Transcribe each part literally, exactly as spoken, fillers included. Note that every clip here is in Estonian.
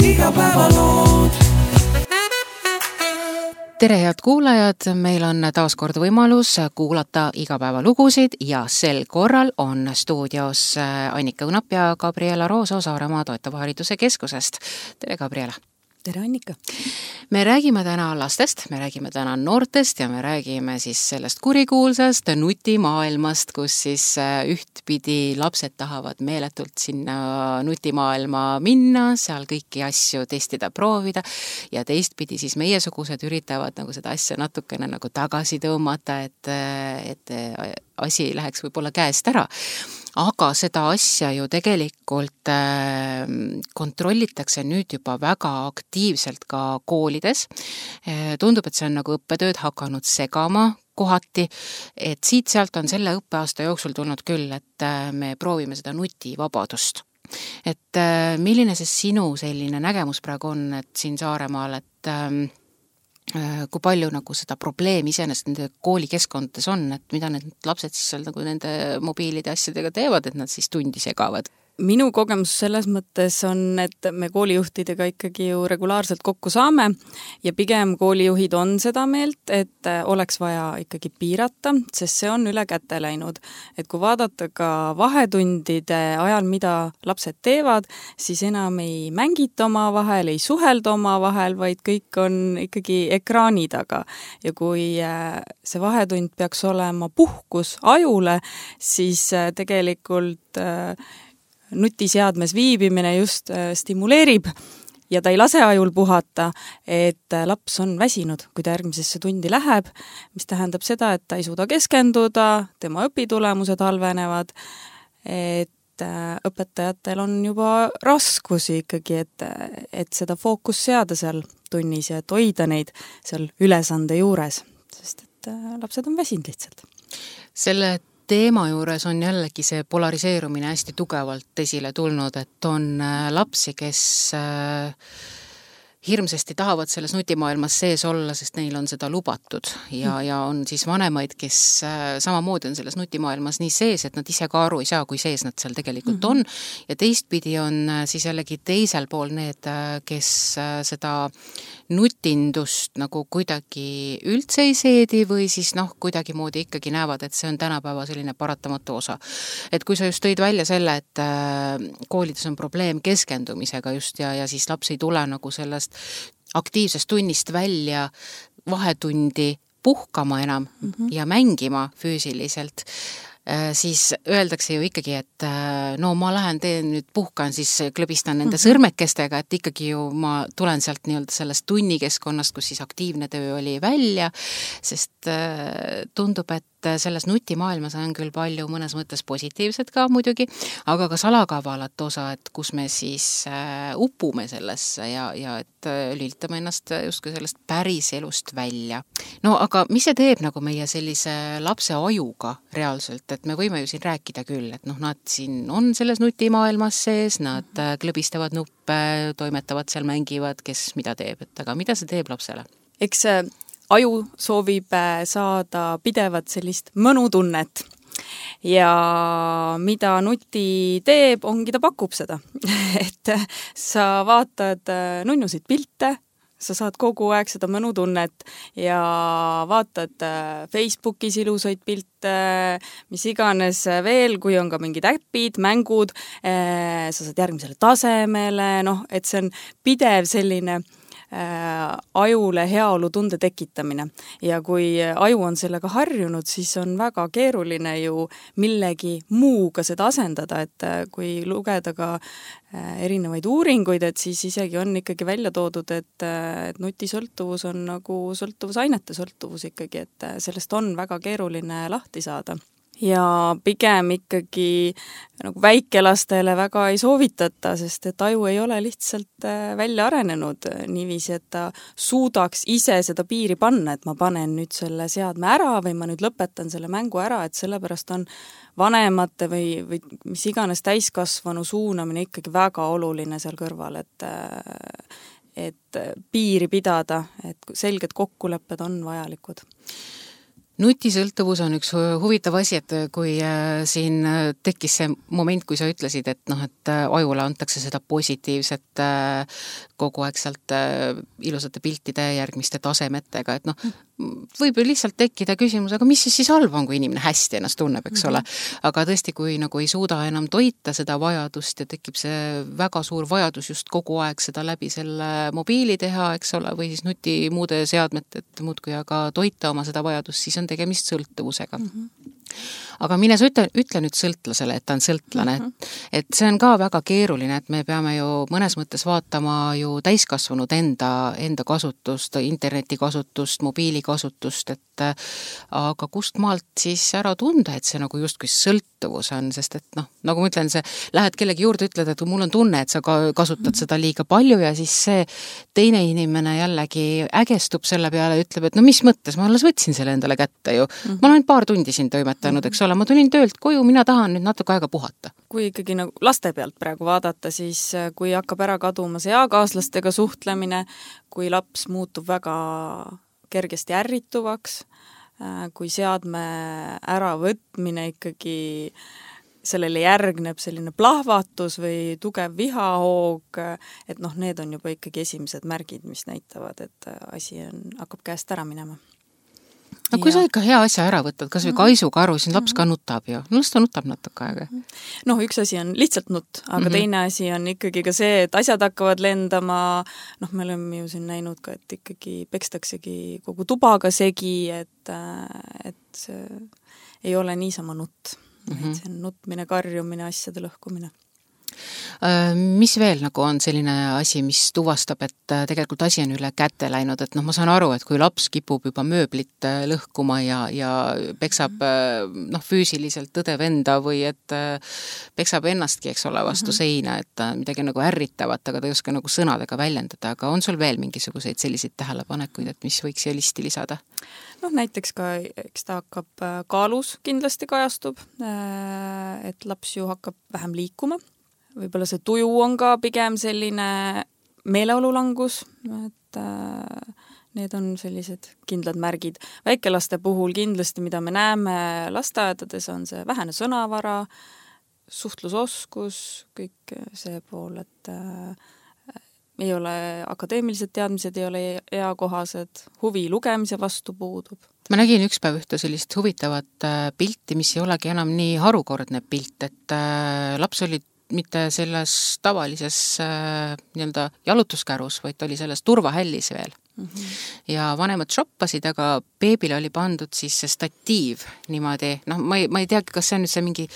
Igapäevalood. Tere head kuulajad, meil on taas kord võimalus kuulata igapäevalugusid ja sel korral on stuudios Annika Õnap ja Gabriela Rooso Saaremaa toetava hariduse keskusest. Tere Gabriela! Tere Annika! Me räägime täna lastest, me räägime täna noortest ja me räägime siis sellest kurikuulsast nutimaailmast, kus siis ühtpidi lapsed tahavad meeletult sinna nutimaailma minna, seal kõiki asju testida, proovida ja teistpidi siis meiesugused üritavad nagu seda asja natukene nagu tagasi tõmmata, et, et asi läheks võib-olla käest ära. Aga seda asja ju tegelikult äh, kontrollitakse nüüd juba väga aktiivselt ka koolides. Äh, tundub, et see on nagu õppetööd hakanud segama kohati, et siit-sealt on selle õppeaasta jooksul tulnud küll, et äh, me proovime seda nutivabadust. Et äh, milline see sinu selline nägemus praegu on, et siin Saaremaal, et äh, kui palju nagu seda probleemi iseenesest nende koolikeskkondades on, et mida need lapsed siis seal nagu nende mobiilide asjadega teevad, et nad siis tundi segavad? Minu kogemus selles mõttes on, et me koolijuhtidega ikkagi ju regulaarselt kokku saame ja pigem koolijuhid on seda meelt, et oleks vaja ikkagi piirata, sest see on üle käte läinud. Et kui vaadata ka vahetundide ajal, mida lapsed teevad, siis enam ei mängita oma vahel, ei suhelda oma vahel, vaid kõik on ikkagi ekraani taga. Ja kui see vahetund peaks olema puhkus ajule, siis tegelikult nutiseadmes viibimine just stimuleerib ja ta ei lase ajul puhata, et laps on väsinud, kui ta järgmisesse tundi läheb, mis tähendab seda, et ta ei suuda keskenduda, tema õpitulemused halvenevad, et õpetajatel on juba raskusi ikkagi, et, et seda fookus seada seal tunnis ja et hoida neid seal ülesande juures, sest et lapsed on väsinud lihtsalt. Selle teema juures on jällegi see polariseerumine hästi tugevalt esile tulnud, et on lapsi, kes hirmsasti tahavad selles nutimaailmas sees olla, sest neil on seda lubatud ja, ja on siis vanemaid, kes samamoodi on selles nutimaailmas nii sees, et nad ise ka aru ei saa, kui sees nad seal tegelikult on ja teistpidi on siis jällegi teisel pool need, kes seda nutindust nagu kuidagi üldse ei seedi või siis noh, kuidagi moodi ikkagi näevad, et see on tänapäeva selline paratamatu osa. Et kui sa just tõid välja selle, et koolides on probleem keskendumisega just ja, ja siis laps ei tule nagu sellest aktiivsest tunnist välja vahetundi puhkama enam mm-hmm. ja mängima füüsiliselt, siis öeldakse ju ikkagi, et no ma lähen teen nüüd puhkan, siis klõbistan nende mm-hmm. sõrmekestega, et ikkagi ju ma tulen sealt nii-öelda sellest tunnikeskkonnast, kus siis aktiivne töö oli välja, sest tundub, et selles nutimaailmas on küll palju mõnes mõttes positiivset ka muidugi, aga ka salakavalat osa, et kus me siis upume sellesse ja, ja et lülitame ennast justkui sellest päris elust välja. No aga mis see teeb nagu meie sellise lapse ajuga reaalselt, et me võime ju siin rääkida küll, et noh, nad siin on selles nutimaailmas sees, nad klõbistavad nuppe, toimetavad seal, mängivad, kes mida teeb, et aga mida see teeb lapsele? Eks aju soovib saada pidevat sellist mõnutunnet ja mida nuti teeb, ongi ta pakub seda. Et sa vaatad nunnusid pilte, sa saad kogu aeg seda mõnutunnet ja vaatad Facebookis ilusaid pilte, mis iganes veel, kui on ka mingid äpid, mängud, sa saad järgmisele tasemele, noh, et see on pidev selline ajule heaolu tunde tekitamine ja kui aju on sellega harjunud, siis on väga keeruline ju millegi muuga seda asendada, et kui lugeda ka erinevaid uuringuid, et siis isegi on ikkagi välja toodud, et, et nutisõltuvus on nagu sõltuvusainete sõltuvus ikkagi, et sellest on väga keeruline lahti saada. Ja pigem ikkagi nagu väikelastele väga ei soovitata, sest et aju ei ole lihtsalt välja arenenud niiviisi, et ta suudaks ise seda piiri panna, et ma panen nüüd selle seadme ära või ma nüüd lõpetan selle mängu ära, et sellepärast on vanemate või, või mis iganes täiskasvanu suunamine ikkagi väga oluline seal kõrval, et, et piiri pidada, et selged kokkulepped on vajalikud. Nutisõltuvus on üks huvitav asi, et kui siin tekkis see moment, kui sa ütlesid, et noh, et ajule antakse seda positiivset kogu aeg sealt ilusate piltide järgmiste tasemetega, et noh, võib ju lihtsalt tekkida küsimus, aga mis siis siis halb on, kui inimene hästi ennast tunneb, eks ole. Aga tõesti, kui nagu ei suuda enam toita seda vajadust ja tekib see väga suur vajadus just kogu aeg seda läbi selle mobiili teha, eks ole, või siis nuti muude seadmete, et muudkui aga toita oma seda vajadust, siis on tegemist sõltuvusega. Mm-hmm. Aga mine sa ütle, ütle nüüd sõltlasele, et ta on sõltlane, mm-hmm. et, et see on ka väga keeruline, et me peame ju mõnes mõttes vaatama ju täiskasvanud enda, enda kasutust, interneti kasutust, mobiili kasutust, et aga kust maalt siis ära tunda, et see nagu justkui sõltuvus on, sest et noh, nagu ma ütlen, see lähed kellegi juurde, ütled, et mul on tunne, et sa kasutad seda liiga palju ja siis see teine inimene jällegi ägestub selle peale ja ütleb, et no mis mõttes, ma alles võtsin selle endale kätte ju. Mm-hmm. Ma olen paar tundi siin toimetanud, eks ole, ma tulin töölt koju, mina tahan nüüd natuke aega puhata. Kui ikkagi nagu laste pealt praegu vaadata, siis kui hakkab ära kaduma see eakaaslastega suhtlemine, kui laps muutub väga kergesti ärrituvaks, kui seadme äravõtmine ikkagi sellele järgneb selline plahvatus või tugev vihahoog, et noh, need on juba ikkagi esimesed märgid, mis näitavad, et asi on, hakkab käest ära minema. No kui ja. Sa ikka hea asja ära võtad, kas või kaisukaru, siis laps ka nutab ju. No ta nutab natuke aega. Noh, üks asi on lihtsalt nutt, aga mm-hmm. teine asi on ikkagi ka see, et asjad hakkavad lendama, noh, me oleme ju siin näinud ka, et ikkagi pekstaksegi kogu tubaga segi, et, et see ei ole niisama nutt. Mm-hmm. See on nutmine, karjumine, asjade lõhkumine. Mis veel nagu on selline asi, mis tuvastab, et tegelikult asi on üle kätte läinud, et noh, ma saan aru, et kui laps kipub juba mööblit lõhkuma ja, ja peksab noh, füüsiliselt tõdev enda või et peksab ennastki, eks ole, vastu seina, et midagi nagu ärritavat, aga ta ei oska nagu sõnadega väljendada, aga on sul veel mingisuguseid selliseid tähelepanekuid, et mis võiks siia listi lisada? Noh, näiteks ka, eks ta hakkab kaalus kindlasti kajastub, et laps ju hakkab vähem liikuma. Võib-olla see tuju on ka pigem selline meeleolulangus, et äh, need on sellised kindlad märgid. Väikelaste puhul kindlasti, mida me näeme lasteaedades, on see vähene sõnavara, suhtlusoskus, kõik see pool, et äh, ei ole akadeemilised teadmised, ei ole eakohased, huvi lugemise vastu puudub. Ma nägin üks päev ühte sellist huvitavat pilti, mis ei olegi enam nii harukordne pilt, et äh, laps oli mitte selles tavalises äh, nii-öelda jalutuskärus, vaid oli selles turvahällis veel. Mm-hmm. Ja vanemad shoppasid, aga beebile oli pandud siis see statiiv niimoodi, noh, ma ei, ma ei teagi, kas see on nüüd see mingi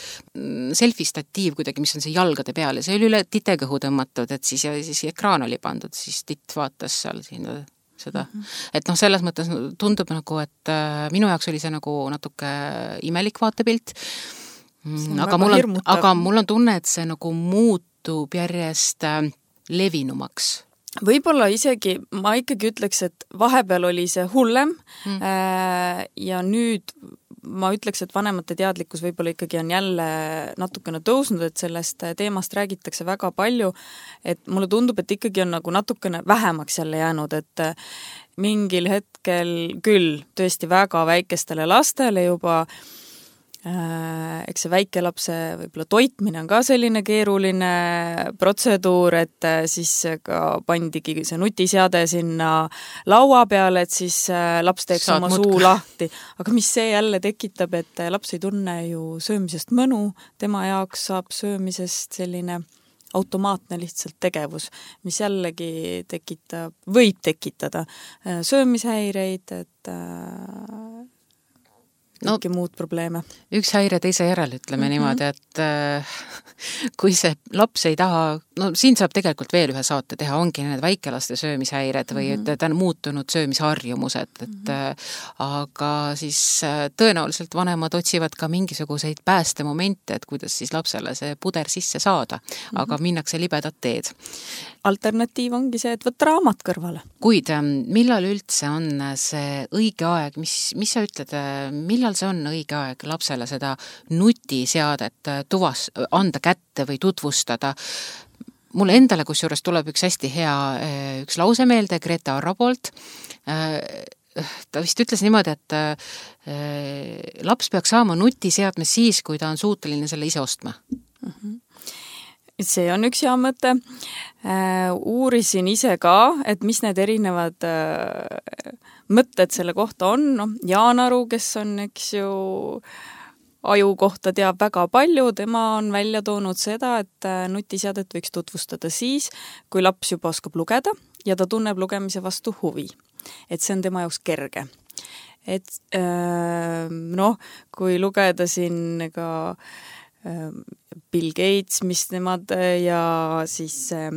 selfie-statiiv kuidagi, mis on see jalgade peal ja see oli üle titekõhu tõmmatud, et siis, ja siis ekraan oli pandud, siis titt vaatas seal siin seda. Mm-hmm. Et noh, selles mõttes tundub nagu, et äh, minu jaoks oli see nagu natuke imelik vaatepilt, Aga mul, on, aga mul on tunne, et see nagu muutub järjest levinumaks. Võib-olla isegi, ma ikkagi ütleks, et vahepeal oli see hullem mm. ja nüüd ma ütleks, et vanemate teadlikkus võib-olla ikkagi on jälle natukene tõusnud, et sellest teemast räägitakse väga palju, et mulle tundub, et ikkagi on nagu natukene vähemaks jälle jäänud, et mingil hetkel küll tõesti väga väikestele lastele juba eks see väikelapse võib-olla toitmine on ka selline keeruline protseduur, et siis ka pandigi see nutiseade sinna laua peale, et siis laps teeks Saad oma mutka. Suu lahti. Aga mis see jälle tekitab, et laps ei tunne ju söömisest mõnu, tema jaoks saab söömisest selline automaatne lihtsalt tegevus, mis jällegi tekitab, võib tekitada söömishäireid, et no, kõiki muud probleeme. Üks häire teise järel, ütleme mm-hmm. niimoodi, et äh, kui see laps ei taha, no siin saab tegelikult veel ühe saate teha, ongi need väikelaste söömishäired või mm-hmm. et ta on muutunud söömisharjumused, et mm-hmm. äh, aga siis äh, tõenäoliselt vanemad otsivad ka mingisuguseid päästemomente, et kuidas siis lapsele see puder sisse saada, mm-hmm. aga minnakse libedat teed. Alternatiiv ongi see, et võtta raamat kõrvale. Kuid millal üldse on see õige aeg, mis, mis sa ütled, millal see on õige aeg lapsele seda nutiseadet tuvas, anda kätte või tutvustada? Mulle endale kusjuures tuleb üks hästi hea üks lause meelde Greta Arro poolt, ta vist ütles niimoodi, et äh, laps peaks saama nutiseadme siis, kui ta on suuteline selle ise ostma. Mm-hmm. See on üks hea mõte. Äh, uurisin ise ka, et mis need erinevad äh, mõtted selle kohta on. No, Jaan Aru, kes on, eks ju, aju kohta teab väga palju, tema on välja toonud seda, et nutiseadet võiks tutvustada siis, kui laps juba oskab lugeda ja ta tunneb lugemise vastu huvi. Et see on tema jaoks kerge. Et äh, noh, kui lugeda siin ka äh, Bill Gates, mis nemad ja siis äh,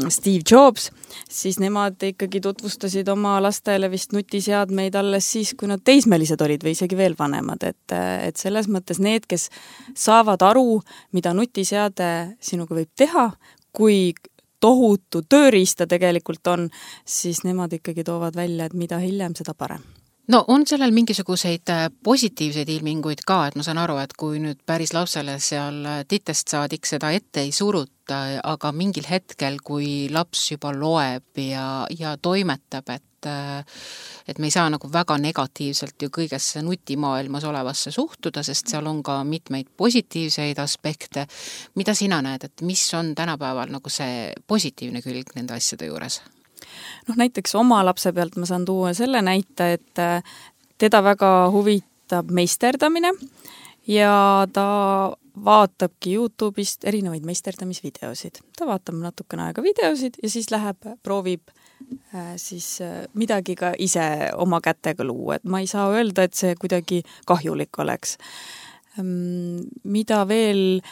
Steve Jobs, siis nemad ikkagi tutvustasid oma lastele vist nutiseadmeid alles siis, kui nad teismelised olid või isegi veel vanemad. Et, et selles mõttes need, kes saavad aru, mida nutiseade sinuga võib teha, kui tohutu tööriista tegelikult on, siis nemad ikkagi toovad välja, et mida hiljem, seda parem. No on sellel mingisuguseid positiivseid ilminguid ka, et ma saan aru, et kui nüüd päris lapsele seal titest saadik seda ette ei suruta, aga mingil hetkel, kui laps juba loeb ja, ja toimetab, et et me ei saa nagu väga negatiivselt ju kõigesse nutimaailmas olevasse suhtuda, sest seal on ka mitmeid positiivseid aspekte. Mida sina näed, et mis on tänapäeval nagu see positiivne külg nende asjade juures? noh, näiteks oma lapse pealt ma saan tuua selle näite, et teda väga huvitab meisterdamine ja ta vaatabki YouTube'ist erinevaid meisterdamisvideosid. Ta vaatab natukene aega videosid ja siis läheb, proovib äh, siis äh, midagi ka ise oma kätega luua. Et ma ei saa öelda, et see kuidagi kahjulik oleks. Ähm, mida veel...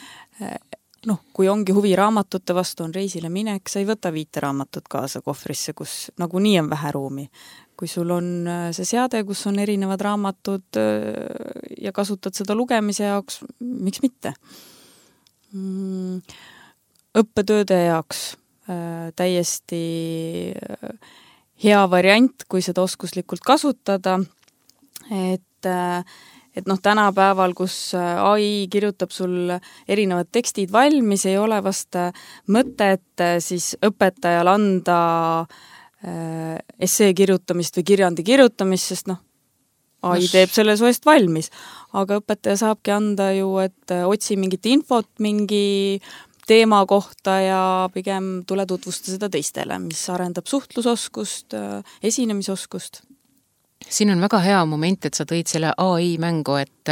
Äh, noh, kui ongi huvi raamatute vastu, on reisile minek, sa ei võta viite raamatut kaasa kohvrisse, kus nagunii on vähe ruumi. Kui sul on see seade, kus on erinevad raamatud ja kasutad seda lugemise jaoks, miks mitte? Õppetööde jaoks täiesti hea variant, kui seda oskuslikult kasutada, et et noh, tänapäeval, kus A I kirjutab sul erinevad tekstid valmis, ei ole vast mõtet siis õpetajal anda essee kirjutamist või kirjandi kirjutamist, sest noh, A I teeb selle su eest valmis. Aga õpetaja saabki anda ju, et otsi mingit infot mingi teema kohta ja pigem tule tutvusta seda teistele, mis arendab suhtlusoskust, esinemisoskust. Siin on väga hea moment, et sa tõid selle A I mängu, et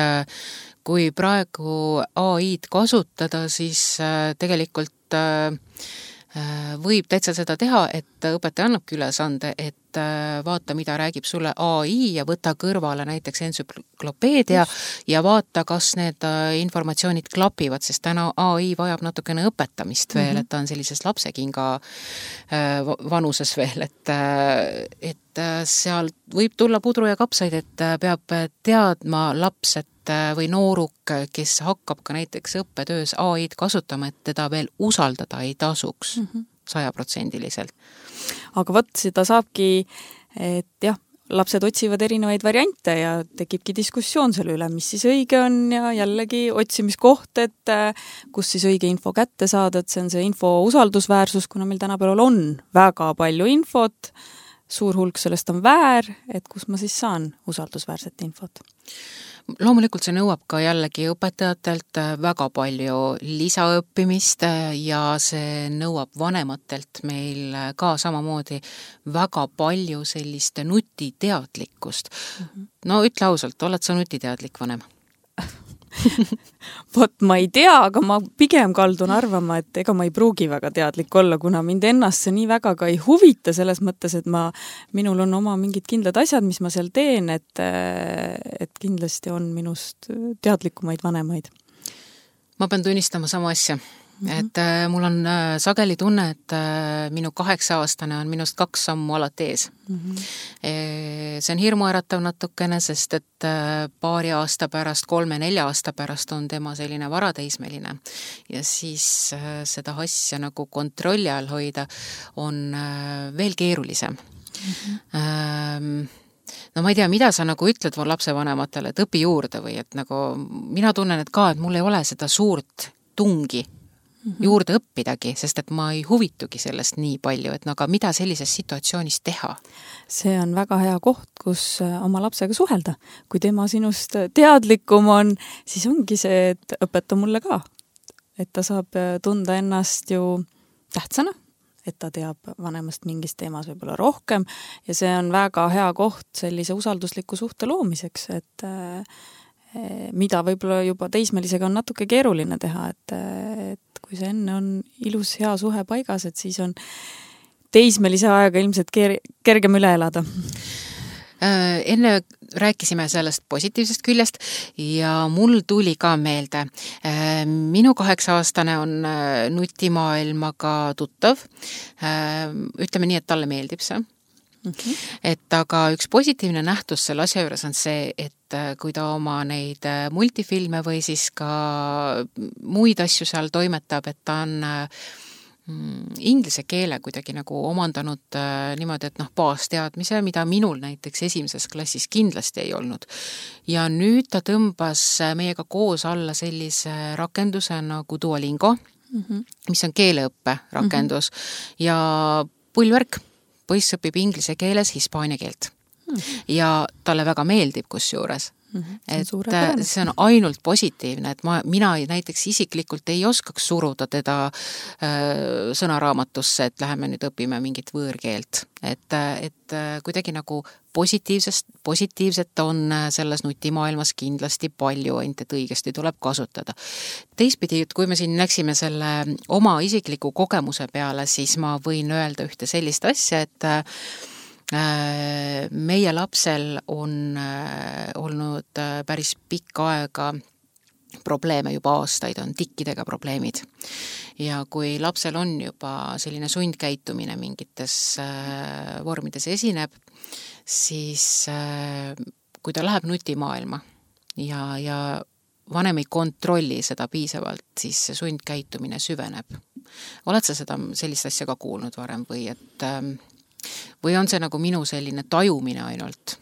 kui praegu A I-d kasutada, siis tegelikult võib täitsa seda teha, et õpetaja annabki ülesande, et vaata, mida räägib sulle A I ja võta kõrvale näiteks entsüklopeedia ja vaata, kas need informatsioonid klapivad, sest täna A I vajab natukene õpetamist veel, mm-hmm. et ta on sellises lapsekinga vanuses veel, et, et seal võib tulla pudru ja kapsaid, et peab teadma laps, et või nooruk, kes hakkab ka näiteks õppetöös A I-d kasutama, et teda veel usaldada ei tasuks sajaprotsendiliselt. Aga võt, seda saabki, et jah, lapsed otsivad erinevaid variante ja tekibki diskussioon selle üle, mis siis õige on ja jällegi otsimiskoht, et kus siis õige info kätte saada, et see on see info usaldusväärsus, kuna meil tänapäeval on väga palju infot, suur hulk sellest on väär, et kus ma siis saan usaldusväärset infot. Loomulikult see nõuab ka jällegi õpetajatelt väga palju lisaõppimist ja see nõuab vanematelt meil ka samamoodi väga palju sellist nutiteadlikkust. Mm-hmm. No ütle ausalt, oled sa nutiteadlik vanem? Vot ma ei tea, aga ma pigem kaldun arvama, et ega ma ei pruugi väga teadlik olla, kuna mind ennast see nii väga ka ei huvita selles mõttes, et ma, minul on oma mingid kindlad asjad, mis ma seal teen, et, et kindlasti on minust teadlikumaid vanemaid. Ma pean tunnistama sama asja. Mm-hmm. Et äh, mul on äh, sageli tunne, et äh, minu kaheksa aastane on minust kaks sammu alati ees. Mm-hmm. E, see on hirmuäratav natukene, sest et äh, paari aasta pärast, kolme-nelja aasta pärast on tema selline varateismeline. Ja siis äh, seda asja nagu kontrolli all hoida on äh, veel keerulisem. Mm-hmm. Ähm, no ma ei tea, mida sa nagu ütled mu lapsevanematele, et õpi juurde või et nagu mina tunnen, et ka, et mul ei ole seda suurt tungi mm-hmm. juurde õppidagi, sest et ma ei huvitugi sellest nii palju, et no aga mida sellises situatsioonis teha? See on väga hea koht, kus oma lapsega suhelda. Kui tema sinust teadlikum on, siis ongi see, et õpeta mulle ka. Et ta saab tunda ennast ju tähtsana, et ta teab vanemast mingist teemas võib-olla rohkem ja see on väga hea koht sellise usaldusliku suhte loomiseks, et mida võib-olla juba teismelisega on natuke keeruline teha, et, et kui see enne on ilus hea suhe paigas, et siis on teismelise aega ilmselt ker- kergem üle elada. Enne rääkisime sellest positiivsest küljest ja mul tuli ka meelde. Minu kaheksa-aastane on nutimaailmaga tuttav. Ütleme nii, et talle meeldib see. Okay. Et aga üks positiivne nähtus selle asja juures on see, et kui ta oma neid multifilme või siis ka muid asju seal toimetab, et ta on inglise keele kuidagi nagu omandanud äh, niimoodi, et noh, baasteadmise, mida minul näiteks esimeses klassis kindlasti ei olnud. Ja nüüd ta tõmbas meiega koos alla sellise rakenduse nagu Duolingo, mm-hmm. mis on keeleõppe rakendus mm-hmm. ja pullvärk, poiss õpib inglise keeles hispaania keelt. Mm-hmm. Ja talle väga meeldib kusjuures. Mm-hmm. et see on ainult positiivne, et ma, mina näiteks isiklikult ei oskaks suruda teda äh, sõnaraamatusse, et läheme nüüd õpime mingit võõrkeelt. Et, et kuidagi nagu positiivsest, positiivset on selles nutimaailmas kindlasti palju, ainult et õigesti tuleb kasutada. Teistpidi, kui me siin läksime selle oma isikliku kogemuse peale, siis ma võin öelda ühte sellist asja, et meie lapsel on olnud päris pikka aega probleeme, juba aastaid on tikkidega probleemid. Ja kui lapsel on juba selline sundkäitumine mingites vormides esineb, siis kui ta läheb nutimaailma ja, ja vanem ei kontrolli seda piisavalt, siis see sundkäitumine süveneb. Oled sa seda sellist asja ka kuulnud varem või et või on see nagu minu selline tajumine ainult?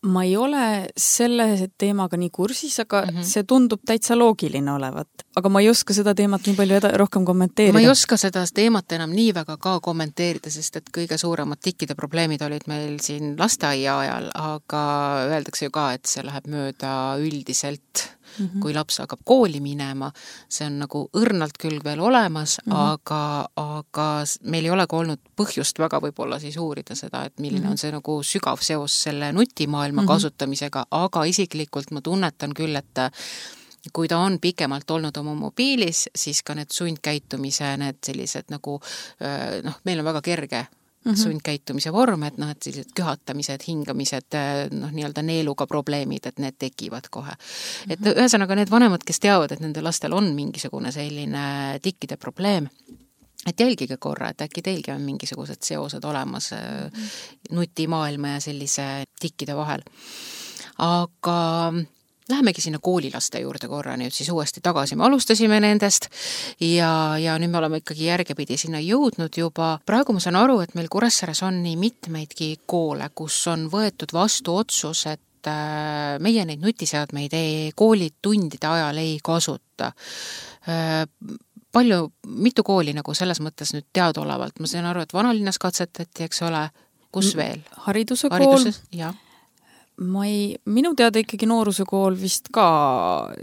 Ma ei ole selle teemaga nii kursis, aga mm-hmm. see tundub täitsa loogiline olevat. Aga ma ei oska seda teemat nii palju eda- rohkem kommenteerida. Ma ei oska seda teemat enam nii väga ka kommenteerida, sest et kõige suuremad tikkide probleemid olid meil siin lasteaia ajal, aga öeldakse ju ka, et see läheb mööda üldiselt, mm-hmm. kui laps hakkab kooli minema. See on nagu õrnalt küll veel olemas, mm-hmm. aga, aga meil ei ole ka olnud põhjust väga võib-olla siis uurida seda, et milline mm-hmm. on see nagu sügav seos selle nutimaailma mm-hmm. kasutamisega, aga isiklikult ma tunnetan küll, et kui ta on pikemalt olnud oma mobiilis, siis ka need sundkäitumise, need sellised nagu, noh, meil on väga kerge mm-hmm. sundkäitumise vorm, et noh, et sellised köhatamised, hingamised, noh, nii-öelda neeluga probleemid, et need tekivad kohe. Mm-hmm. Et ühesõnaga need vanemad, kes teavad, et nende lastel on mingisugune selline tikkide probleem, et jälgige korra, et äkki teilgi on mingisugused seosed olemas mm-hmm. nutimaailma ja sellise tikkide vahel. Aga lähemegi sinna koolilaste juurde korra nüüd siis uuesti tagasi. Me alustasime nendest ja, ja nüüd me oleme ikkagi järgepidi sinna jõudnud juba. Praegu ma saan aru, et meil Kuressaares on nii mitmeidki koole, kus on võetud vastu otsus, et meie neid nutiseadmeid ei, koolitundide ajal ei kasuta. Palju, mitu kooli nagu selles mõttes nüüd teadaolevalt? Ma saan aru, et vanalinnas katsetati, eks ole, kus veel? Hariduse kool. Hariduses, jah. Ma ei, minu teada ikkagi nooruse kool vist ka,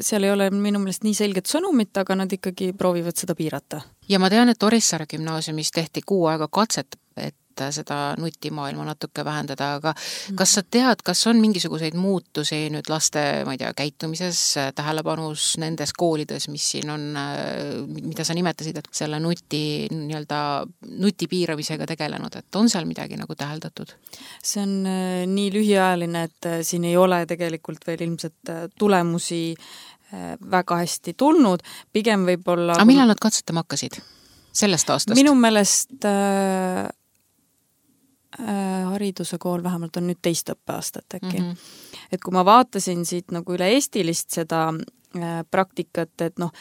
seal ei ole minu meelest nii selget sõnumit, aga nad ikkagi proovivad seda piirata. Ja ma tean, et Orissaare gümnaasiumis tehti kuu aega katset, et seda nutimaailma natuke vähendada, aga kas sa tead, kas on mingisuguseid muutusi nüüd laste, ma ei tea, käitumises, tähelepanus nendes koolides, mis siin on, mida sa nimetasid, et selle nuti, nii-öelda nuti piiramisega tegelenud, et on seal midagi nagu täheldatud? See on nii lühiajaline, et siin ei ole tegelikult veel ilmselt tulemusi väga hästi tulnud, pigem võib-olla... Aga millal nad katsetama hakkasid? Sellest aastast? Minu meelest äh, hariduse kool vähemalt on nüüd teist õppeaastat äkki. Mm-hmm. Et kui ma vaatasin siit nagu üle eestilist seda äh, praktikat, et noh,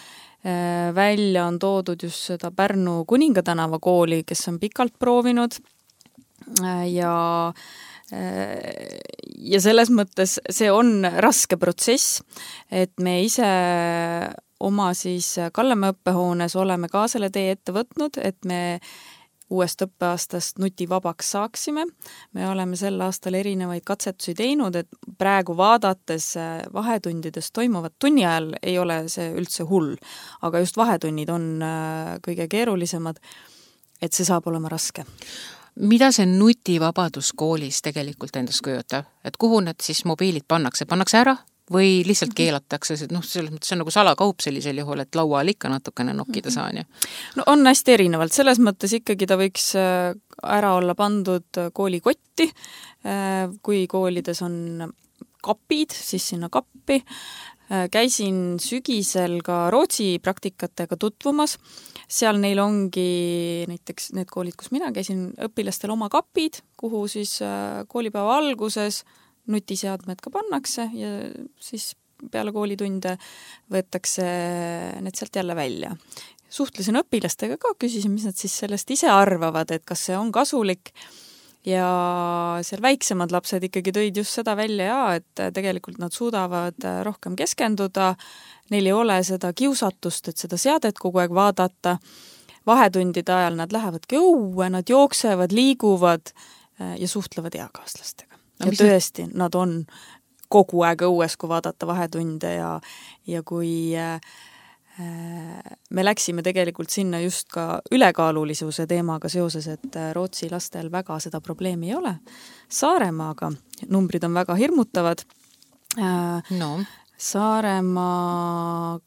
äh, välja on toodud just seda Pärnu Kuningatänava kooli, kes on pikalt proovinud äh, ja ja selles mõttes see on raske protsess, et me ise oma siis Kallemäe õppehoones oleme ka selle tee ette võtnud, et me uuest õppeaastast nutivabaks saaksime. Me oleme sel aastal erinevaid katsetusi teinud, et praegu vaadates vahetundides toimuvat tunni ajal ei ole see üldse hull, aga just vahetunnid on kõige keerulisemad, et see saab olema raske. Mida see nutivabadus koolis tegelikult endast kujutab? Et kuhu need siis mobiilid pannakse? Pannakse ära? Või lihtsalt keelatakse, et noh, selles mõttes see on nagu salakaup sellisel juhul, et laual ikka natukene nokkida saan. Ja. No on hästi erinevalt, selles mõttes ikkagi ta võiks ära olla pandud koolikotti, kui koolides on kapid, siis sinna kappi. Käisin sügisel ka Rootsi praktikatega tutvumas, seal neil ongi näiteks need koolid, kus mina käisin, õpilastel oma kapid, kuhu siis koolipäeva alguses nutiseadmed ka pannakse ja siis peale koolitunde võetakse need sealt jälle välja. Suhtlesin õpilastega ka, küsisin, mis nad siis sellest ise arvavad, et kas see on kasulik ja seal väiksemad lapsed ikkagi tõid just seda välja ja, et tegelikult nad suudavad rohkem keskenduda, neil ei ole seda kiusatust, et seda seadet kogu aeg vaadata, vahetundide ajal nad lähevadki õue, nad jooksevad, liiguvad ja suhtlevad eakaaslastega. Ja tõesti, nad on kogu aeg õues, kui vaadata vahetunde ja, ja kui äh, me läksime tegelikult sinna just ka ülekaalulisuse teemaga seoses, et Rootsi lastel väga seda probleemi ei ole. Saaremaaga numbrid on väga hirmutavad. Äh, no. Saaremaa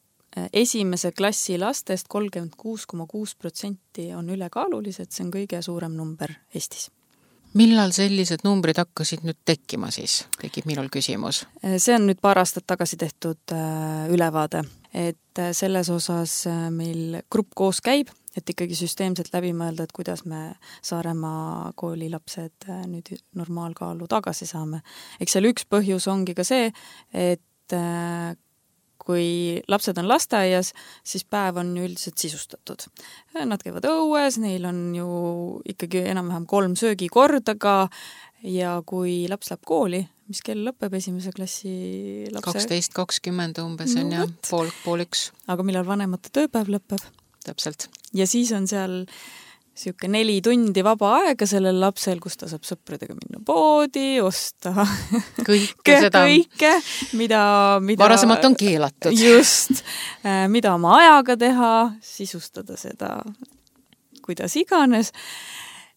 esimese klassi lastest kolmkümmend kuus koma kuus protsenti on ülekaalulised, see on kõige suurem number Eestis. Millal sellised numbrid hakkasid nüüd tekkima siis? Tekib minul küsimus. See on nüüd paar aastat tagasi tehtud ülevaade, et selles osas meil grupp koos käib, et ikkagi süsteemselt läbi mõelda, et kuidas me Saaremaa koolilapsed nüüd normaalkaalu tagasi saame. Eks seal üks põhjus ongi ka see, et kui lapsed on lasteaias, siis päev on ju üldiselt sisustatud. Nad käivad õues, neil on ju ikkagi enam-vähem kolm söögikorda ka ja kui laps läheb kooli, mis kell lõpeb esimese klassi lapse? kaksteist kakskümmend umbes on no, ja pool, pool üks. Aga millal vanemate tööpäev lõpeb? Täpselt. Ja siis on seal siuke neli tundi vaba aega sellel lapsel, kus ta saab sõpradega minna poodi, osta kõike seda, kõike, mida, mida varasemalt on keelatud. Just, mida oma ajaga teha, sisustada seda, kuidas iganes,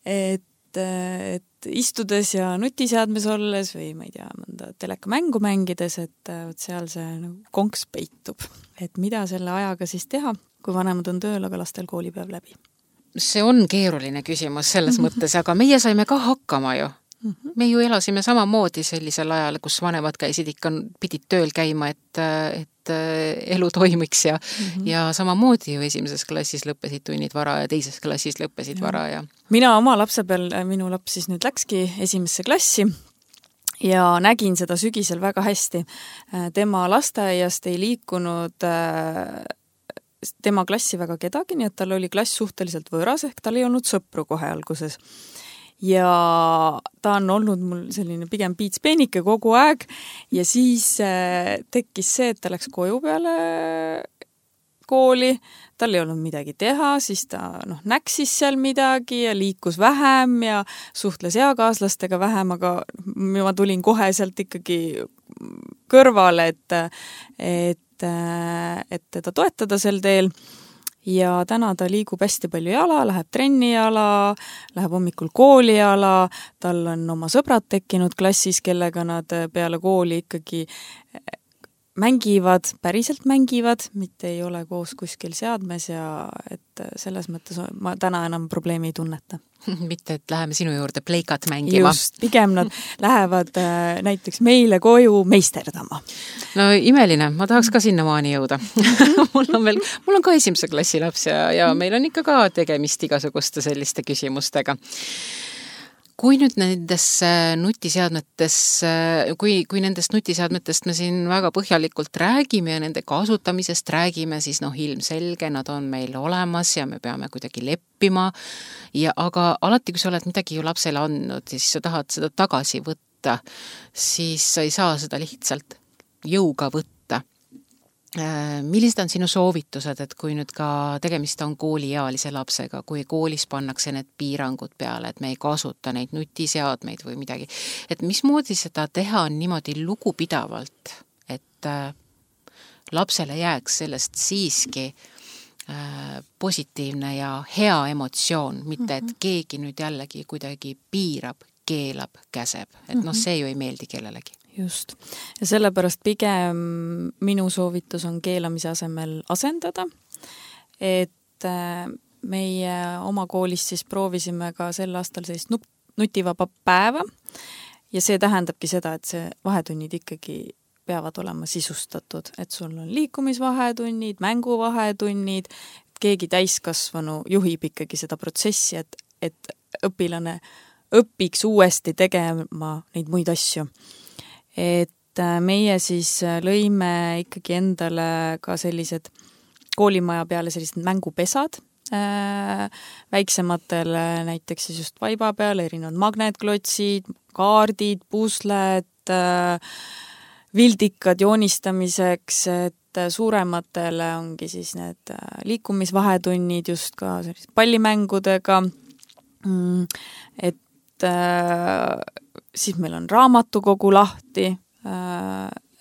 et, et istudes ja nutiseadmes olles või ma ei tea, mõnda telekamängu mängides, et seal see nagu konks peitub, et mida selle ajaga siis teha, kui vanemad on tööl, aga lastel koolipäev läbi. See on keeruline küsimus selles mõttes, aga meie saime ka hakkama ju. Me ju elasime samamoodi sellisel ajal, kus vanemad käisid ikka, pidid tööl käima, et, et elu toimiks ja, mm-hmm. ja samamoodi ju esimeses klassis lõppesid tunnid vara ja teises klassis lõppesid ja. vara. Ja. Mina oma lapse peal, minu laps siis nüüd läkski esimesse klassi ja nägin seda sügisel väga hästi. Tema lasteaiast ei liikunud tema klassi väga kedagi, nii et tal oli klass suhteliselt võõras, ehk tal ei olnud sõpru kohe alguses. Ja ta on olnud mul selline pigem piitspeenike kogu aeg ja siis tekkis see, et ta läks koju peale kooli, tal ei olnud midagi teha, siis ta noh, näksis seal midagi ja liikus vähem ja suhtles eakaaslastega vähem, aga ma tulin kohe sealt ikkagi kõrvale, et, et et teda toetada sel teel ja täna ta liigub hästi palju jala, läheb trenni jala, läheb hommikul kooli jala, tal on oma sõbrad tekkinud klassis, kellega nad peale kooli ikkagi mängivad, päriselt mängivad, mitte ei ole koos kuskil seadmes ja et selles mõttes ma täna enam probleemi ei tunneta. Mitte, et läheme sinu juurde pleikat mängima. Just, pigem nad lähevad äh, näiteks meile koju meisterdama. No imeline, ma tahaks ka sinnamaani jõuda. mul on veel, mul on ka esimese klassi laps ja, ja meil on ikka ka tegemist igasuguste selliste küsimustega. Kui nüüd nendest nutiseadmetest, kui, kui nendest nutiseadmetest me siin väga põhjalikult räägime ja nende kasutamisest räägime, siis noh, ilmselge, nad on meil olemas ja me peame kuidagi leppima. Ja, aga alati, kui sa oled midagi ju lapsele andnud, siis sa tahad seda tagasi võtta, siis sa ei saa seda lihtsalt jõuga võtta. millised on sinu soovitused, et kui nüüd ka tegemist on kooliealise lapsega, kui koolis pannakse need piirangud peale, et me ei kasuta neid nutiseadmeid või midagi, et mismoodi seda teha on niimoodi lugupidavalt, et lapsele jääks sellest siiski positiivne ja hea emotsioon, mitte et keegi nüüd jällegi kuidagi piirab, keelab, käseb, et noh, see ju ei meeldi kellelegi. Just. Ja sellepärast pigem minu soovitus on keelamise asemel asendada, et meie oma koolis siis proovisime ka sel aastal sellist nutivaba päeva ja see tähendabki seda, et see vahetunnid ikkagi peavad olema sisustatud, et sul on liikumisvahetunnid, mänguvahetunnid, keegi täiskasvanu juhib ikkagi seda protsessi, et, et õpilane õpiks uuesti tegema neid muid asju. Et meie siis lõime ikkagi endale ka sellised koolimaja peale sellised mängupesad, äh, väiksematele näiteks siis just vaiba peale, erinevad magnetklotsid, kaardid, pusled, äh, vildikad joonistamiseks, et suurematele ongi siis need liikumisvahetunnid just ka pallimängudega, et siis meil on raamatukogu lahti,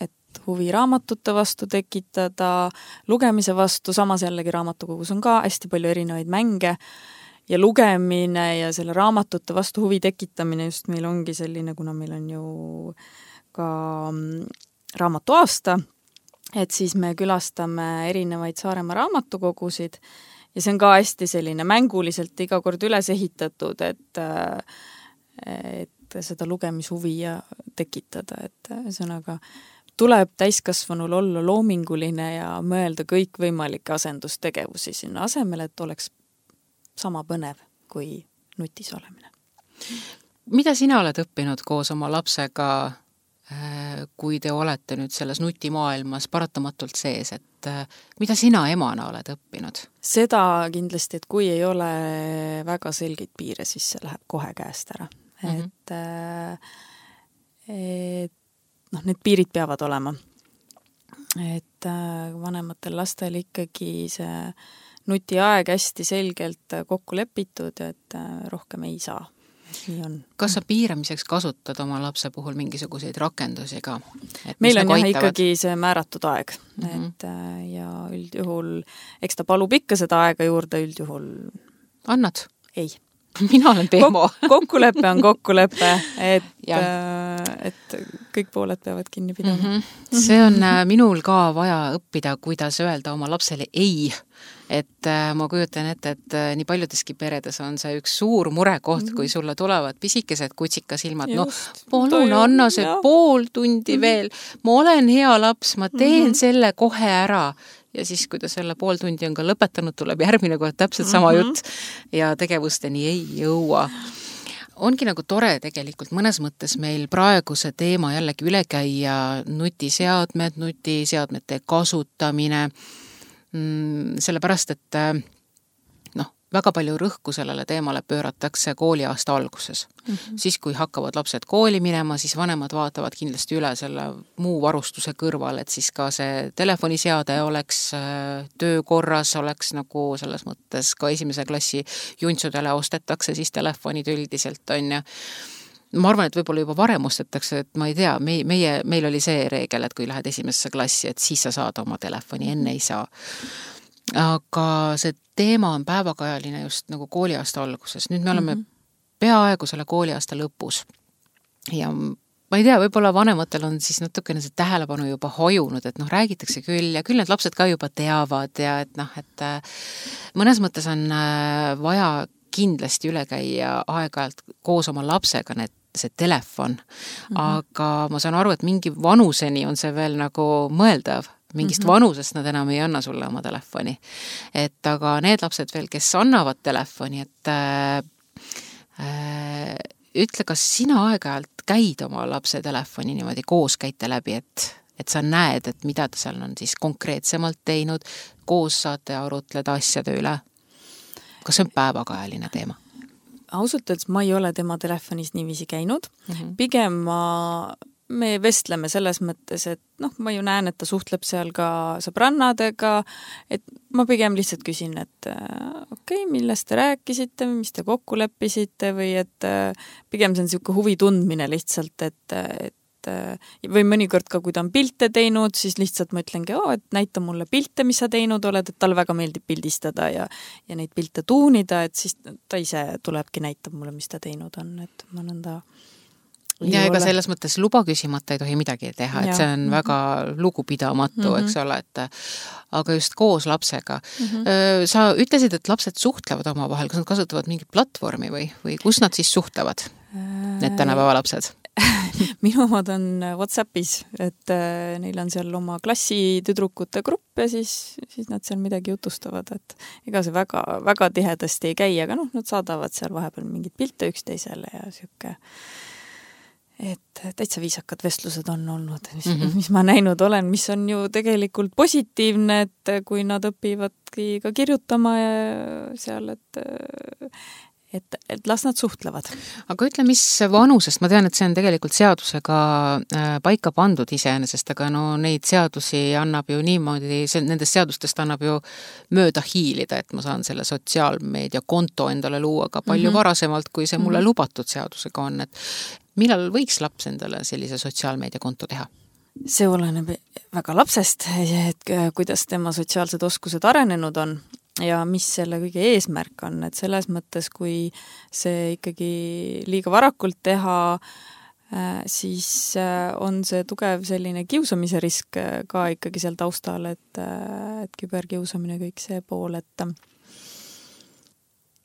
et huvi raamatute vastu tekitada, lugemise vastu, samas jällegi raamatukogus on ka hästi palju erinevaid mänge ja lugemine ja selle raamatute vastu huvi tekitamine just meil ongi selline, kuna meil on ju ka raamatu aasta, et siis me külastame erinevaid Saaremaa raamatukogusid ja see on ka hästi selline mänguliselt iga kord üles ehitatud, et et seda lugemishuvi ja tekitada, et ühesõnaga tuleb täiskasvanul olla loominguline ja mõelda kõikvõimalikke asendustegevusi sinna asemel, et oleks sama põnev kui nutis olemine. Mida sina oled õppinud koos oma lapsega, kui te olete nüüd selles nutimaailmas paratamatult sees, et mida sina emana oled õppinud? Seda kindlasti, et kui ei ole väga selgeid piire, siis see läheb kohe käest ära. Mm-hmm. Et, et noh, need piirid peavad olema. Et vanematel lastel ikkagi see nutiaeg hästi selgelt kokku lepitud, et rohkem ei saa. Nii on. Kas sa piiramiseks kasutad oma lapse puhul mingisuguseid rakendusi ka? Meil on jah ikkagi see määratud aeg, mm-hmm. et ja üldjuhul, eks ta palub ikka seda aega juurde üldjuhul. Annad? Ei. Mina olen pehmo. Kok- kokkulepe on kokkulepe, et, et kõik pooled peavad kinni pidama. Mm-hmm. See on minul ka vaja õppida, kuidas öelda oma lapsele ei. Et ma kujutan ette, et nii paljudeski peredes on see üks suur murekoht, mm-hmm. kui sulle tulevad pisikesed kutsikasilmad. No, palun anna see jah. Pool tundi mm-hmm. veel. Ma olen hea laps, ma teen mm-hmm. selle kohe ära. Ja siis, kui ta selle pool tundi on ka lõpetanud, tuleb järgmine kord täpselt sama mm-hmm. jutt ja tegevusteni ei jõua. Ongi nagu tore tegelikult mõnes mõttes meil praegu see teema jällegi üle käia, nutiseadmed, nutiseadmete kasutamine, sellepärast, et noh, väga palju rõhku sellele teemale pööratakse kooliaasta alguses. Mm-hmm. Siis, kui hakkavad lapsed kooli minema, siis vanemad vaatavad kindlasti üle selle muu varustuse kõrval, et siis ka see telefoniseade oleks töökorras, oleks nagu selles mõttes ka esimese klassi juntsudele ostetakse siis telefonid üldiselt on ja ma arvan, et võib-olla juba varem ostetakse, et ma ei tea, meie, meie, meil oli see reegel, et kui lähed esimesse klassi, et siis sa saad oma telefoni, enne ei saa. Aga see teema on päevakajaline just nagu kooliaasta alguses. Nüüd me oleme mm-hmm. peaaegu selle kooliaasta lõpus. Ja ma ei tea, võib-olla vanematel on siis natukene see tähelepanu juba hojunud, et noh, räägitakse küll ja küll need lapsed ka juba teavad ja et noh, et mõnes mõttes on vaja kindlasti üle käia aeg-ajalt koos oma lapsega need see telefon, mm-hmm. aga ma saan aru, et mingi vanuseni on see veel nagu mõeldav, mingist mm-hmm. vanusest nad enam ei anna sulle oma telefoni. Et aga need lapsed veel, kes annavad telefoni, et äh, äh, ütle, kas sina aeg-ajalt käid oma lapse telefoni niimoodi koos käite läbi, et, et sa näed, et mida ta seal on siis konkreetsemalt teinud, koos saate arutleda asjade üle. Kas see on päevakajaline teema? Ausalt öeldes ma ei ole tema telefonis niiviisi käinud. Mm-hmm. Pigem ma me vestleme selles mõttes, et noh, ma ju näen, et ta suhtleb seal ka sõbrannadega, et ma pigem lihtsalt küsin, et okei, okay, millest te rääkisite, mis te kokku leppisite või et pigem see on niisugune huvi tundmine lihtsalt, et, et või mõnikord ka, kui ta on pilte teinud, siis lihtsalt ma ütlengi, oo, et näita mulle pilte, mis sa teinud oled, et talle väga meeldib pildistada ja, ja neid pilte tuunida, et siis ta ise tulebki näitab mulle, mis ta teinud on, et ma nõnda ja ega selles mõttes luba küsimata ei tohi midagi teha, et ja. see on väga lugupidamatu, mm -hmm. eks ole, et aga just koos lapsega. Mm -hmm. Sa ütlesid, et lapsed suhtlevad omavahel, kas nad kasutavad mingit platvormi või, või kus nad siis suhtlevad, need tänapäeva lapsed? Minu omad on WhatsAppis, et äh, neil on seal oma klassi tüdrukute grupp ja siis, siis nad seal midagi jutustavad, et ega see väga, väga tihedasti ei käi, aga noh, nad saadavad seal vahepeal mingid pilte üksteisele ja siuke, et täitsa viisakad vestlused on olnud, mis, mm -hmm. mis ma näinud olen, mis on ju tegelikult positiivne, et kui nad õpivadki ka kirjutama ja seal, et et, et las nad suhtlevad. Aga ütle, mis vanusest, ma tean, et see on tegelikult seadusega paika pandud iseenesest, aga no neid seadusi annab ju niimoodi, nendest seadustest annab ju mööda hiilida, et ma saan selle sotsiaalmeedia konto endale luua ka palju mm -hmm. varasemalt, kui see mulle mm -hmm. lubatud seadusega on, et millal võiks laps endale sellise sotsiaalmeedia konto teha? See oleneb väga lapsest, et kuidas tema sotsiaalsed oskused arenenud on ja mis selle kõige eesmärk on, et selles mõttes, kui see ikkagi liiga varakult teha, siis on see tugev selline kiusamise risk ka ikkagi seal taustal, et, et küberkiusamine kõik see pool, et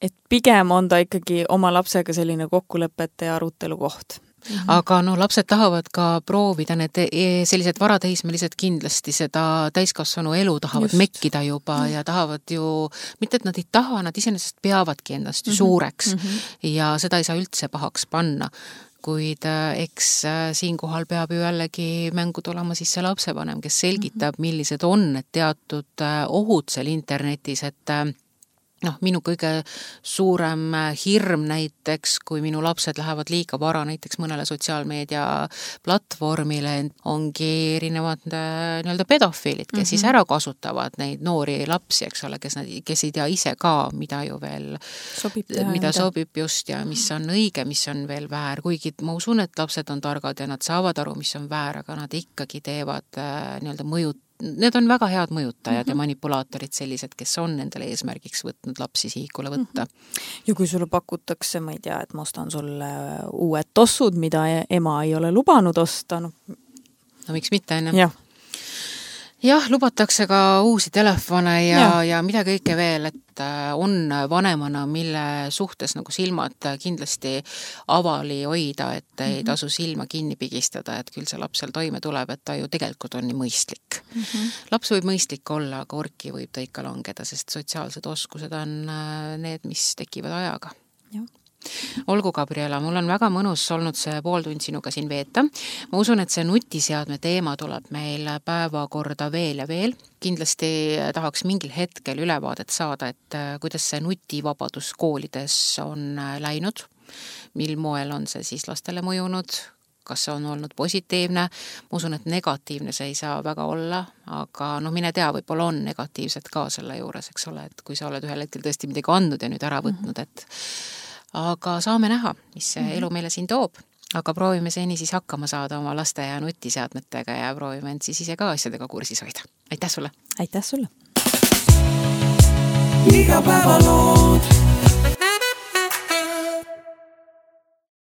et pigem on ta ikkagi oma lapsega selline kokkulepete ja arutelu koht. Mm-hmm. Aga no lapsed tahavad ka proovida, need sellised varateismelised kindlasti seda täiskasvanu elu tahavad Just. mekkida juba mm-hmm. ja tahavad ju, mitte et nad ei taha, nad iseenesest peavadki ennast ju mm-hmm. suureks mm-hmm. ja seda ei saa üldse pahaks panna. Kuid eks siinkohal peab ju jällegi mängu tulema siis see lapsevanem, kes selgitab, millised on need teatud ohud seal internetis, et noh, minu kõige suurem hirm näiteks, kui minu lapsed lähevad liiga vara näiteks mõnele sotsiaalmeedia platvormile, ongi erinevad nii-öelda pedofiilid, kes mm -hmm. siis ära kasutavad neid noori lapsi, eks ole, kes, nad, kes ei tea ise ka, mida ju veel sobib teha, mida sobib just ja mis on õige, mis on veel väär, kuigi ma usun, et lapsed on targad ja nad saavad aru, mis on väär, aga nad ikkagi teevad nii-öelda mõjut Need on väga head mõjutajad mm -hmm. ja manipulaatorid sellised, kes on nendele eesmärgiks võtnud lapsi sihikule võtta. Ja kui sulle pakutakse, ma ei tea, et ma ostan sulle uued tossud, mida ema ei ole lubanud osta. No, no miks mitte, enne? Jah. Jah, lubatakse ka uusi telefone ja, ja. ja mida kõike veel, et on vanemana, mille suhtes nagu silmad kindlasti avali hoida, et mm -hmm. ei tasu silma kinni pigistada, et küll see laps seal toime tuleb, et ta ju tegelikult on nii mõistlik. Mm -hmm. Laps võib mõistlik olla, aga orki võib ta ikka langeda, sest sotsiaalsed oskused on need, mis tekivad ajaga. Jah. Olgu, Gabriela, mul on väga mõnus olnud see pool tund sinuga siin veeta. Ma usun, et see nutiseadme teema tuleb meil päevakorda veel ja veel. Kindlasti tahaks mingil hetkel ülevaadet saada, et kuidas see nutivabadus koolides on läinud, mil moel on see siis lastele mõjunud, kas see on olnud positiivne. Ma usun, et negatiivne see ei saa väga olla, aga no mine tea, võib-olla on negatiivset ka selle juures, eks ole, et kui sa oled ühel hetkel tõesti midagi andnud ja nüüd ära võtnud, et aga saame näha, mis see elu meile siin toob. Aga proovime seni siis hakkama saada oma laste ja nutiseadmetega ja proovime end siis ise ka asjadega kursis hoida. Aitäh sulle! Aitäh sulle! Igapäevalood